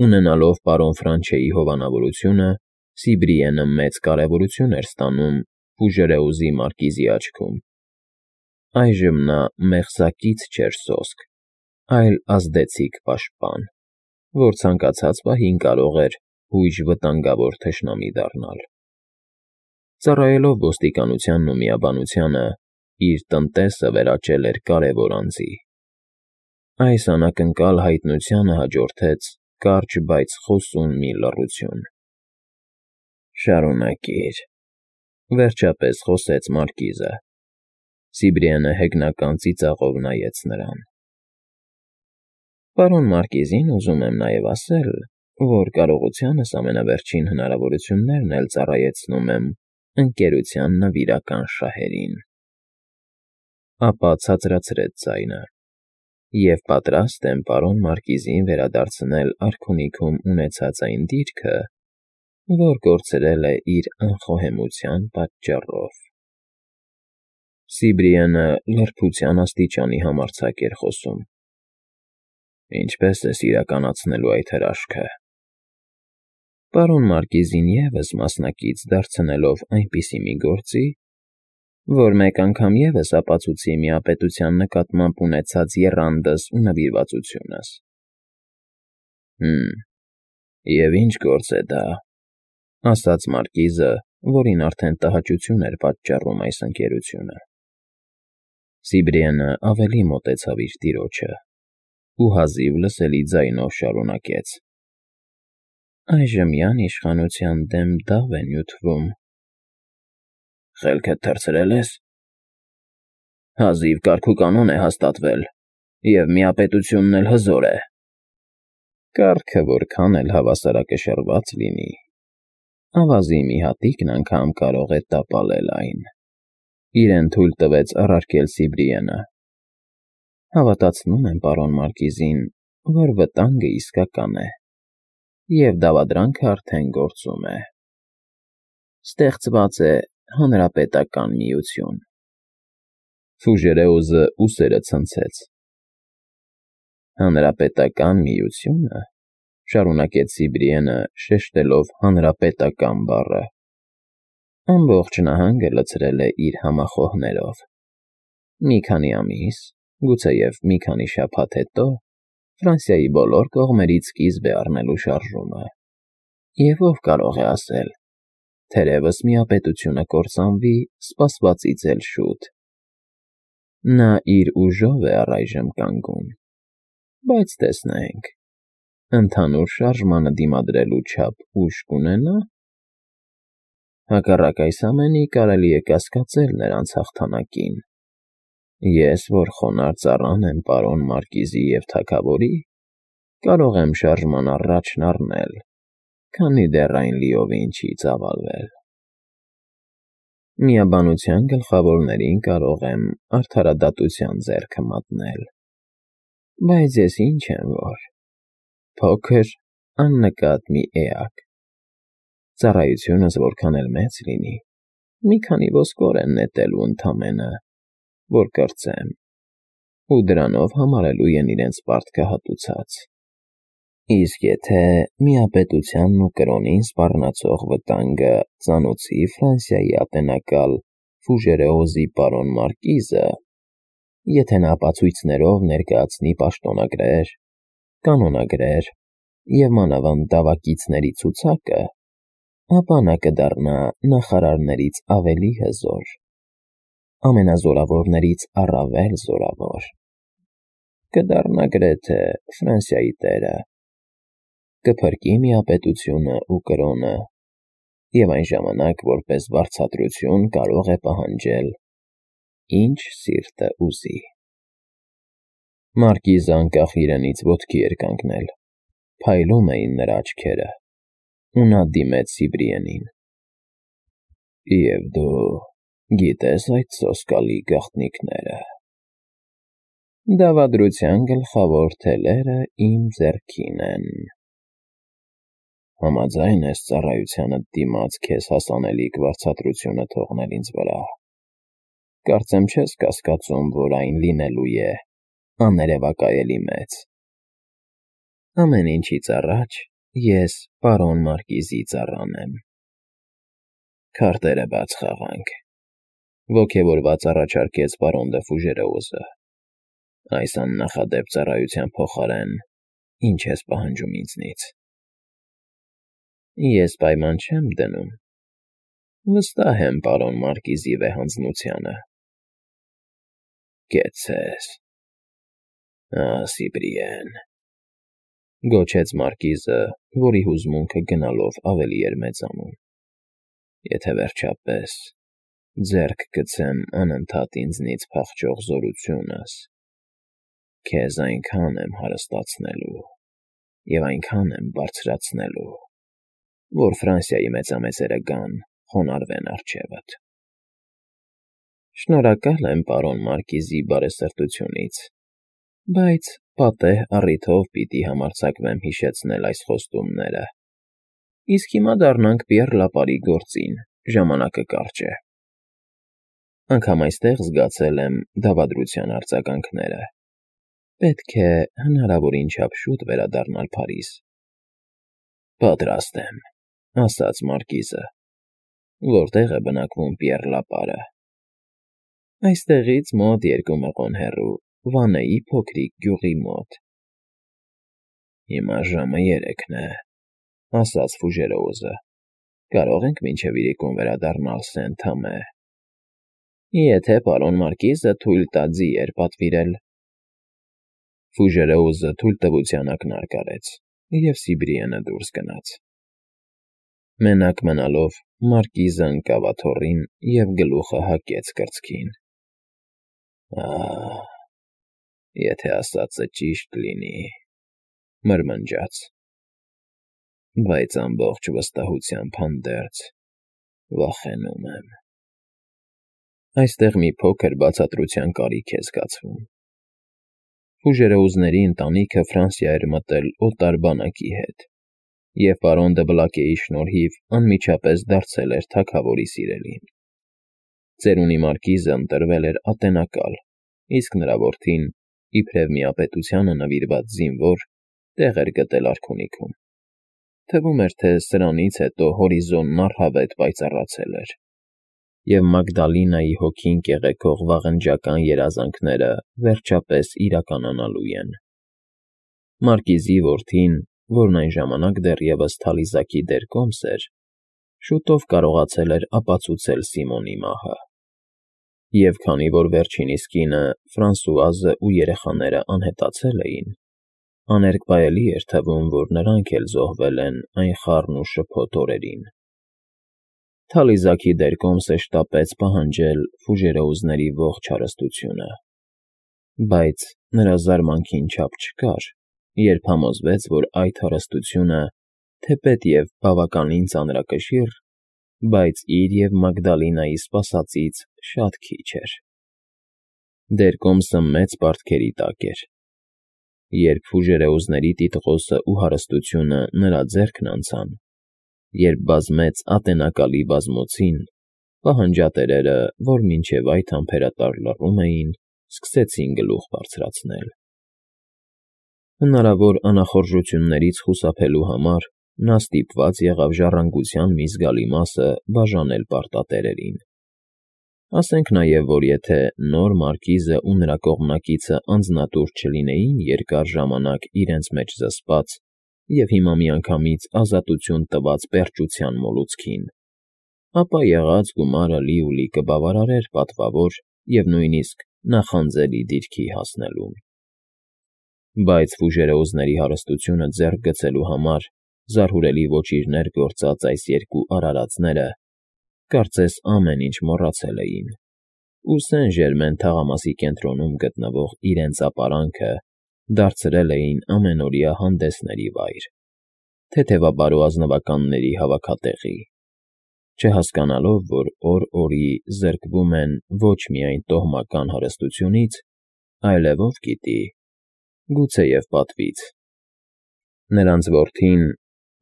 Ունենալով պարոն Ֆրանչեի հովանավորությունը, Սիբրիենը մեծ կարևորություն էր ստանում Ֆուժերեուզի մարկիզի աչքում։ Այժմ նա մեղսակից չէր սոսկ, այլ ազդեցիկ պաշտպան, որ ցանկացած պահին կարող էր հույժ վտանգավոր թշնամի դառնալ։ Ծառայելով ոստիկանությանն ու միաբանությանը, իր տնտեսը վերաճել էր կարևոր անձի։ Այս անակնկալ հայտնությանը հաջորդեց կարճ, բայց խոսուն մի լռություն։ «Շարունակիր,֊ վերջապես խոսեց մարկիզը։ Սիբրիենը հեգնական ծիծաղով նայեց նրան։ Պարոն Մարկիզին ուզում եմ նաև ասել, որ կարողությանս ամենավերջին հնարավորություններն էլ ծառայեցնում եմ ընկերության նվիրական շահերին։ Ապա ցածրացրեց ձայնը։ Եվ պատրաստ եմ պարոն Մարկիզին վերադարձնել արքունիքում ունեցած այն դիրքը, որ կորցրել է իր անխոհեմության պատճառով։ Սիբրիենը լրբության աստիճանի համարձակ էր խոսում։ Ինչպե՞ս ես իրականացնելու այդ հրաշքը։ Պարոն Մարկիզին ևս մասնակից դարձնելով այնպիսի մի գործի, որ մեկ անգամ ևս ապացուցի միապետության նկատմամբ ունեցած եռանդս ու նվիրվածությունս։ Եվ ինչ գործ է դա,֊ ասաց մարկիզը, որին արդեն տհաճություն էր պատճառում այս ընկերությունը։ Սիբրիենը ավելի մոտեցավ իր տիրոջը ու հազիվ լսելի ձայնով շարունակեց. Այժմյան իշխանության դեմ դավ է նյութվում։ Խելքդ թռցրել ես։ Հազիվ կարգուկանոն է հաստատվել, և միապետությունն էլ հզոր է։ Կարգը որքան էլ հավասարակշռված լինի, ավազի մի հատիկն անգամ կարող է տապալել այն,֊ իրեն թույլ տվեց առարկել Սիբրիենը։ Հավատացնում եմ պարոն Մարկիզին, որ վտանգը իսկական է, և դավադրանքը արդեն գործում է։ Ստեղծված է հանրապետական միություն։ Ֆուժերեուզը ուսերը ցնցեց։ Հանրապետական միությո՞ւնը,֊ շարունակեց Սիբրիենը, շեշտելով հանրապետական բառը։ Ամբողջ նահանգը լցրել է իր համախոհներով։ Մի քանի ամիս, գուցեև մի քանի շաբաթ հետո Ֆրանսիայի բոլոր կողմերից սկիզբ է առնելու շարժումը։ Եվ ով կարող է ասել, թերևս միապետությունը կործանվի սպասվածից էլ շուտ։ Նա իր ուժով է առայժմ կանգուն, բայց տեսնենք, ընդհանուր շարժմանը դիմադրելու չափ ուժ կունենա՞։ Հակառակ այս ամենի կարելի է կասկածել նրանց հաղթանակին։ Ես, որ խոնարհ ծառան եմ պարոն Մարկիզի և թագավորի, կարող եմ շարժման առաջն առնել, քանի դեռ այն լիովին չի ծավալվել։ Միաբանության գլխավորներին կարող եմ արդարադատության ձեռքը մատնել, բայց ես ինչ եմ որ, փոքր, աննկատ մի էակ։ Ծառայությունս որքան էլ մեծ լինի, մի քանի ոսկոր են նետելու ընդամենը, որ կրծեմ, ու դրանով համարելու են իրենց պարտքը հատուցած։ Իսկ եթե միապետությանն ու կրոնին սպառնացող վտանգը ծանուցի Ֆրանսիայի ատենակալ Ֆուժերեուզի պարոն Մարկիզը, եթե նա ապացույցներով ներկայացնի պաշտոնագրեր, կանոնագրեր և մանավանդ դավակիցների ցուցակը, ապա նա կդառնա նախարարներից ավելի հզոր, ամենազորավորներից առավել զորավոր, կդառնա գրեթե Ֆրանսիայի տերը, կփրկի միապետությունը ու կրոնը, և այն ժամանակ որպես վարձատրություն կարող է պահանջել, ինչ սիրտը ուզի։ Մարկիզը անկախ իրենից ոտքի էր կանգնել, փայլում էին նրա աչքերը, ու նա դիմեց Սիբրիենին։ Եվ դու գիտե՞ս այդ սոսկալի գաղտնիքները։ Դավադրության գլխավոր թելերը իմ ձեռքին են։ Համաձայն ես ծառայությանդ դիմաց քեզ հասանելիք վարձատրությունը թողնել ինձ վրա։ Կարծեմ չես կասկածում, որ այն լինելու է աներևակայելի մեծ։ Ամեն ինչից առաջ ես պարոն Մարկիզի ծառան եմ։ Քարտերը բաց խաղանք, ոգևորված առաջարկեց պարոն դը Ֆուժերեոզը։ Այս աննախադեպ ծառայության փոխարեն ինչ ես պահանջում ինձնից։ Ես պայման չեմ դնում։ Վստահ եմ պարոն Մարկիզի վեհանձնությանը։ Կեցցես։ Սիբրիեն, գոչեց Մարկիզը, որի հուզմունքը գնալով ավելի էր մեծանում։ Եթե վերջապես ձեռք գցեմ անընդհատ ինձնից փախչող զորությունս, քեզ այնքան եմ հարստացնելու և այնքան եմ բարձրացնելու, որ Ֆրանսիայի մեծամեծերը գան խոնարհվեն առջևդ։ Շնորհակալ եմ պարոն Մարկիզի բարեսրտությունից, բայց պատեհ առիթով պիտի համարձակվեմ հիշեցնել այս խոստումները։ Իսկ հիմա դառնանք Պիեռ Լապարի գործին, ժամանակը կարճ է։ Անգամ այստեղ զգացել եմ դավադրության արձագանքները։ Պետք է հնարավորին չափ շուտ վերադառնալ Փարիզ։ Պատրաստ եմ, ասաց Մարկիզը։ Որտեղ է բնակվում Պիեռ Լապարը։ Այստեղից մոտ 2 մղոն հեռու, Վանեի փոքրիկ գյուղի մոտ։ Հիմա ժամը 3 է, ասաց Ֆուժերեոզը։ Կարող ենք մինչև իրիկուն վերադառնալ Սեն-Թամե։ Եթե պարոն Մարկիզը թույլ տա ձիեր պատվիրել։ Ֆուժերեոզը թույլտվության ակնարկ արեց, և Սիբրիենը դուրս գնաց։ Մենակ մնալով Մարկիզը ընկավ աթոռին և գլուխը հակեց կրծքին։ Եթե ասածը ճիշտ լինի, մրմնջաց, բայց ամբողջ վստահությամբ հանդերձ վախենում եմ։ Այստեղ մի փոքր բացատրության կարիք է զգացվում։ Ֆուժերեոզների ընտանիքը Ֆրանսիա էր մտել օտար բանակի հետ, և պարոն դը Բլակեի շնորհիվ անմիջապես դարձել էր թագավորի սիրելին։ Ծերունի Մարկիզը ընտրվել էր ատենակալ, իսկ նրա որդին, իբրև միապետությանը նվիրված զինվոր, տեղ էր գտել արքունիքում։ Թվում էր, թե սրանից հետո հորիզոնն առհավետ պայծառացել էր, և Մագդալինայի հոգին կեղեքող վաղնջական երազանքները վերջապես իրականանալու են։ Մարկիզի որդին, որն այն ժամանակ դեռևս Թալիզակի դերկոմս էր, շուտով կարողացել էր ապացուցել Սիմոնի մահը։ Եվ քանի որ վերջինիս կինը Ֆրանսուազը ու երեխաները անհետացել էին, աներկբայելի էր թվում, որ նրանք էլ զոհվել են այն խառն ու շփոթ օրերին։ Թալիզակի դերկոմսը շտապեց պահանջել Ֆուժերեոզների ողջ հարստությունը, բայց նրա զարմանքին չափ չկար, երբ համոզվեց, որ այդ հարստությունը, թեպետ և բավականին ծանրակշիռ, բայց իր և Մագդալինայի սպասածից շատ քիչ էր։ Դերկոմսը մեծ պարտքերի տակ էր։ Երբ Ֆուժերեոզների տիտղոսը ու հարստությունը նրա ձեռքն անցան, երբ բազմեց ատենակալի բազմոցին, պահանջատերերը, որ մինչև այդ համբերատար լռում էին, սկսեցին գլուխ բարձրացնել։ Հնարավոր անախորժություններից խուսափելու համար նա ստիպված եղավ ժառանգության մի զգալի մասը բաժանել պարտատերերին։ Ասենք նաև, որ եթե նոր Մարկիզը ու նրա կողմնակիցը անձնատուր չլինեին երկար ժամանակ իրենց մեջ զսպած և հիմա միանգամից ազատություն տված պերճության մոլուցքին, ապա եղած գումարը լիուլի կբավարարեր պատվավոր և նույնիսկ նախանձելի դիրքի հասնելուն։ Բայց Ֆուժերեոզների հարստությունը ձեռք գցելու համար զարհուրելի ոճիրներ գործած այս երկու արարածները, կարծես ամեն ինչ մոռացել էին, ու Սեն֊Ժերմեն թաղամասի կենտրոնում գտնվող իրենց ապարանքը դարձրել էին ամենօրյա հանդեսների վայր, թեթևաբարո ազնվականների հավաքատեղի, չհասկանալով, որ օր֊օրի զրկվում են ոչ միայն տոհմական հարստությունից, այլև ով գիտի, գուցեև պատվից։ Նրանց որդին,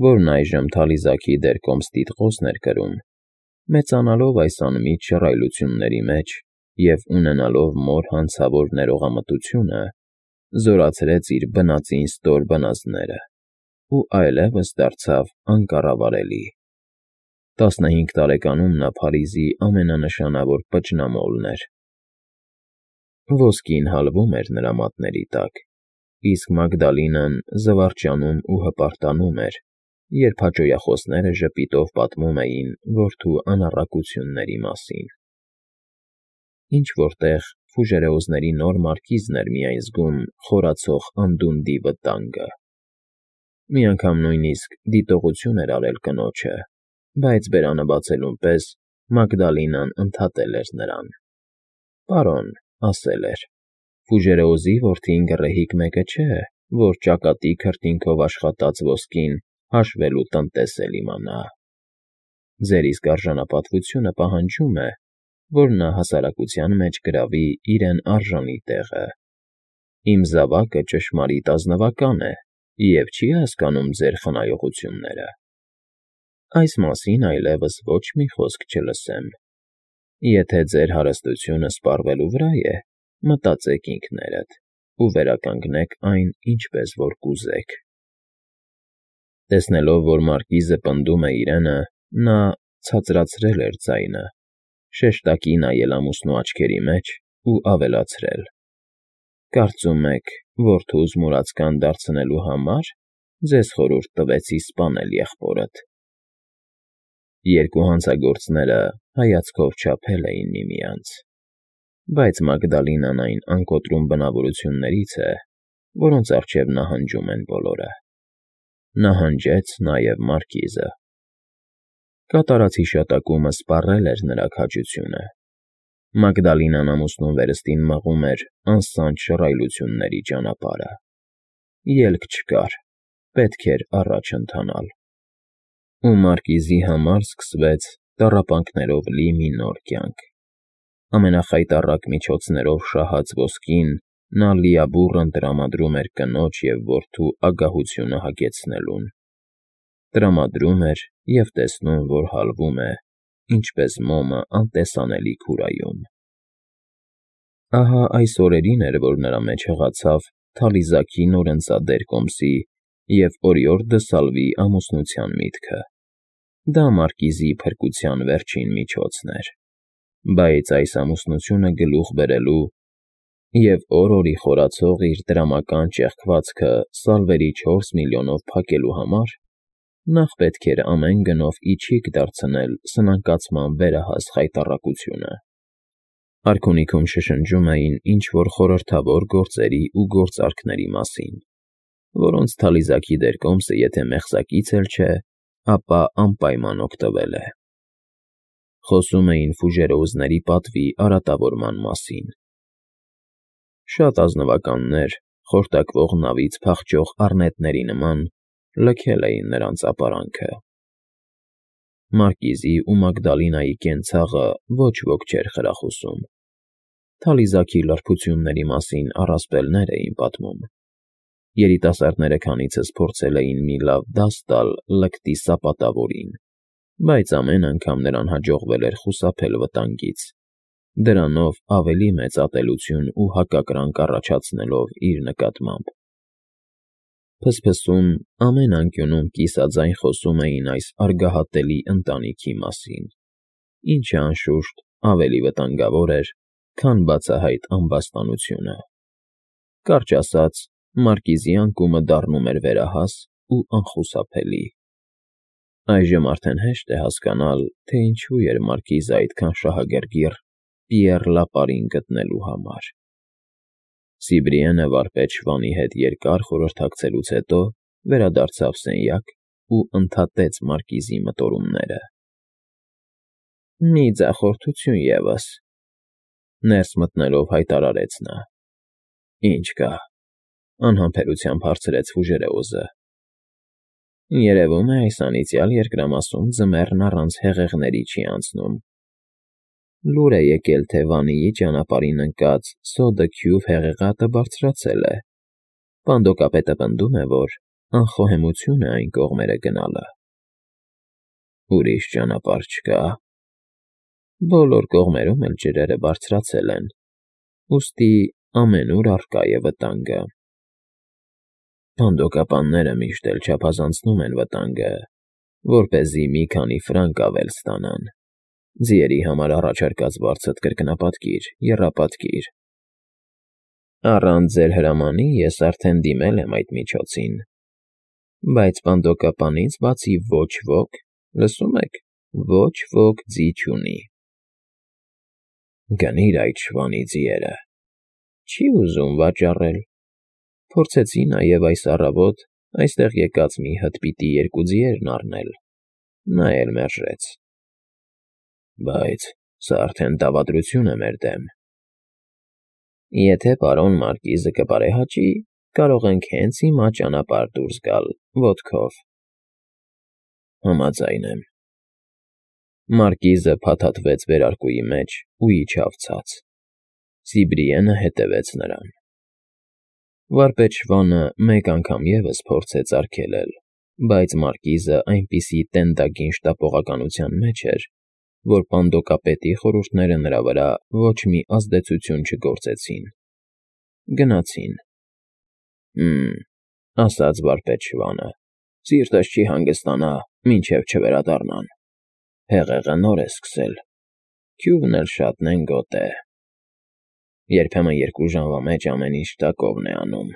որն այժմ Թալիզակի դերկոմս տիտղոսն էր կրում, մեծանալով այս անմիջ շռայլությունների մեջ և ունենալով մոր հանցավոր ներողամտությունը, զորացրեց իր բնածին ստոր բնազդները ու այլևս դարձավ անկառավարելի։ 15 տարեկանում նա Փարիզի ամենանշանավոր պճնամոլն էր։ Ոսկին հալվում էր նրա մատների տակ, իսկ Մագդալինան զվարճանում ու հպարտանում էր, երբ հաճոյախոսները ժպիտով պատմում էին որդու անառակությունների մասին։ Ինչ-որ տեղ Ֆուժերեոզների նոր մարկիզն էր միայն զգում խորացող անդունդի վտանգը։ Մի անգամ նույնիսկ դիտողություն էր արել կնոջը, բայց բերանը բացելուն պես Մագդալինան ընդհատել էր նրան։ «Պարոն,» ասել էր, «Ֆուժերեոզի որդին գռեհիկ մեկը չէ, որ ճակատի քրտինքով աշխատած ոսկին հաշվելու տնտես էլ իմանա։ Ձեր իսկ արժանապատվությունը պահանջում է, որ նա հասարակության մեջ գրավի իրեն արժանի տեղը։ Իմ զավակը ճշմարիտ ազնվական է և չի հասկանում ձեր խնայողությունները։ Այս մասին այլևս ոչ մի խոսք չլսեմ։ Եթե ձեր հարստությունը սպառվելու վրա է, մտածեք ինքներդ ու վերականգնեք այն ինչպես որ կուզեք»։ Տեսնելով, որ մարկիզը պնդում է իրենը, նա ցածրացրել էր ձայնը, շեշտակի նայել ամուսնու աչքերի մեջ ու ավելացրել. «Կարծում եք, որդուս մուրացկան դարձնելու համար ձեզ խորհուրդ տվեցի սպանել եղբորդ»։ Երկու հանցագործները հայացքով չափել էին միմյանց, բայց Մագդալինան այն անկոտրում բնավորություններից է, որոնց առջև նահանջում են բոլորը։ Նահանջեց նաև մարկիզը։ Կատարած հիշատակումը սպառել էր նրա քաջությունը։ Մագդալինան ամուսնուն վերստին մղում էր անսանջ շռայլությունների ճանապարհը։ Ելք չկար, պետք էր առաջ ընթանալ։ Ու մարկիզի համար սկսվեց տառապանքներով լի մի նոր կյանք։ Ամենախայտառակ միջոցներով շահած ոսկին նա լիաբուռն տրամադրում էր կնոջ և որդու ագահությունը հագեցնելուն։ Տրամադրում էր և տեսնում, որ հալվում է, ինչպես մոմը անտեսանելի քուրայում։ Ահա այս օրերին էր, որ նրա մեջ հղացավ Թալիզաքի նորընծադեր կոմսի և Օրիորդ դը Սալվի ամուսնության միտքը։ Դա մարկիզի փրկության վերջին միջոցն էր։ Բայց այս ամուսնությունը գլուխ բերելու և օր֊օրի խորացող իր դրամական ճեղքվածքը սալվերի 4 միլիոնով փակելու համար նախ պետք էր ամեն գնով իջիկ դարձնել սնանկացման վերահաս խայտառակությունը։ Արքունիքում շշնջում էին ինչ֊որ խորհրդավոր գործերի ու գործարքների մասին, որոնց Թալիզաքի դեր կոմսը եթե մեղսակից էլ չէ, ապա անպայման օգտվել է։ Խոսում էին Ֆուժերեոզների պատվի արատավորման մասին։ Շատ ազնվականներ, խորտակվող նավից փախչող առնետների նման, լքել էին նրանց ապարանքը։ Մարկիզի ու Մագդալինայի կենցաղը ոչ ոք չէր խրախուսում։ Թալիզաքի լրբությունների մասին առասպելներ էին պատմում։ Երիտասարդները քանիցս փորձել էին մի լավ դաս տալ լկտի սապատավորին, բայց ամեն անգամ նրան հաջողվել էր խուսափել վտանգից, դրանով ավելի մեծ ատելություն ու հակակրանք առաջացնելով իր նկատմամբ։ Փսփսում ամեն անկյունում կիսաձայն խոսում էին այս արգահատելի ընտանիքի մասին, ինչը, անշուշտ, ավելի վտանգավոր էր, քան բացահայտ ամբաստանությունը։ Կարճ ասած, մարկիզի անկումը դառնում էր վերահաս ու անխուսափելի։ Այժմ արդեն հեշտ է հասկանալ, թե ինչու էր մարկիզը այդքան շահագրգիռ Պիեռ Լապարին գտնելու համար։ Սիբրիենը վարպետ Շվանի հետ երկար խորհրդակցելուց հետո վերադարձավ սենյակ ու ընդհատեց մարկիզի մտորումները։ «Մի ձախորդություն ևս», ներս մտնելով հայտարարեց նա։ «Ինչ կա», անհամբերությամբ հարցրեց Ֆուժերեոզը։ «Երևում է, այս անիծյալ երկրամասում ձմեռն առանց հեղեղների չի անցնում։ Լուր է եկել, թե Վանիի ճանապարհին ընկած Սոդը Քյուվ հեղեղատը բարձրացել է։ Պանդոկապետը պնդում է, որ անխոհեմություն է այն կողմերը գնալը»։ «Ուրիշ ճանապարհ չկա»։ «Բոլոր կողմերում էլ ջրերը բարձրացել են, ուստի ամենուր առկա է վտանգը»։ Սպանդոկապանները միշտ էլ չափազանցնում են վտանգը, որպեսզի մի քանի ֆրանկ ավել ստանան։ Ձիերի համար առաջարկած բարձր կրկնապատկիր, եռապատկիր։ Առանց ձեր հրամանի ես արդեն դիմել եմ այդ միջոցին, բայց սպանդոկապանից բացի ոչ ոք, լսում եք, ոչ ոք ձի չունի։ Գնիր այդ շվանի ձիերը։ Չի ուզում վաճառել։ Փորձեցի նաև այս առավոտ այստեղ եկած մի հտպիտի երկու ձիերն առնել, նա էլ մերժեց։ Բայց սա արդեն դավադրություն է մեր դեմ։ Եթե պարոն Մարկիզը կբարեհաճի, կարող ենք հենց հիմա ճանապարհ դուրս գալ ոտքով։ Համաձայն եմ։ Մարկիզը փաթաթվեց վերարկուի մեջ ու իջավ ցած։ Սիբրիենը հետևեց նրան։ Վարպետ֊շվանը մեկ անգամ ևս փորձեց արգելել, բայց Մարկիզը այնպիսի տենդագին շտապողականության մեջ էր, որ պանդոկապետի խորհուրդները նրա վրա ոչ մի ազդեցություն չգործեցին։ Գնացին։ Ասաց վարպետ֊շվանը, սիրտս չի հանգստանա, մինչև չվերադառնան։ Հեղեղը նոր է սկսել, քյուվն էլ շատ նենգոտ է։ Երբեմն 2 ժամվա մեջ ամեն ինչ տակովն է անում։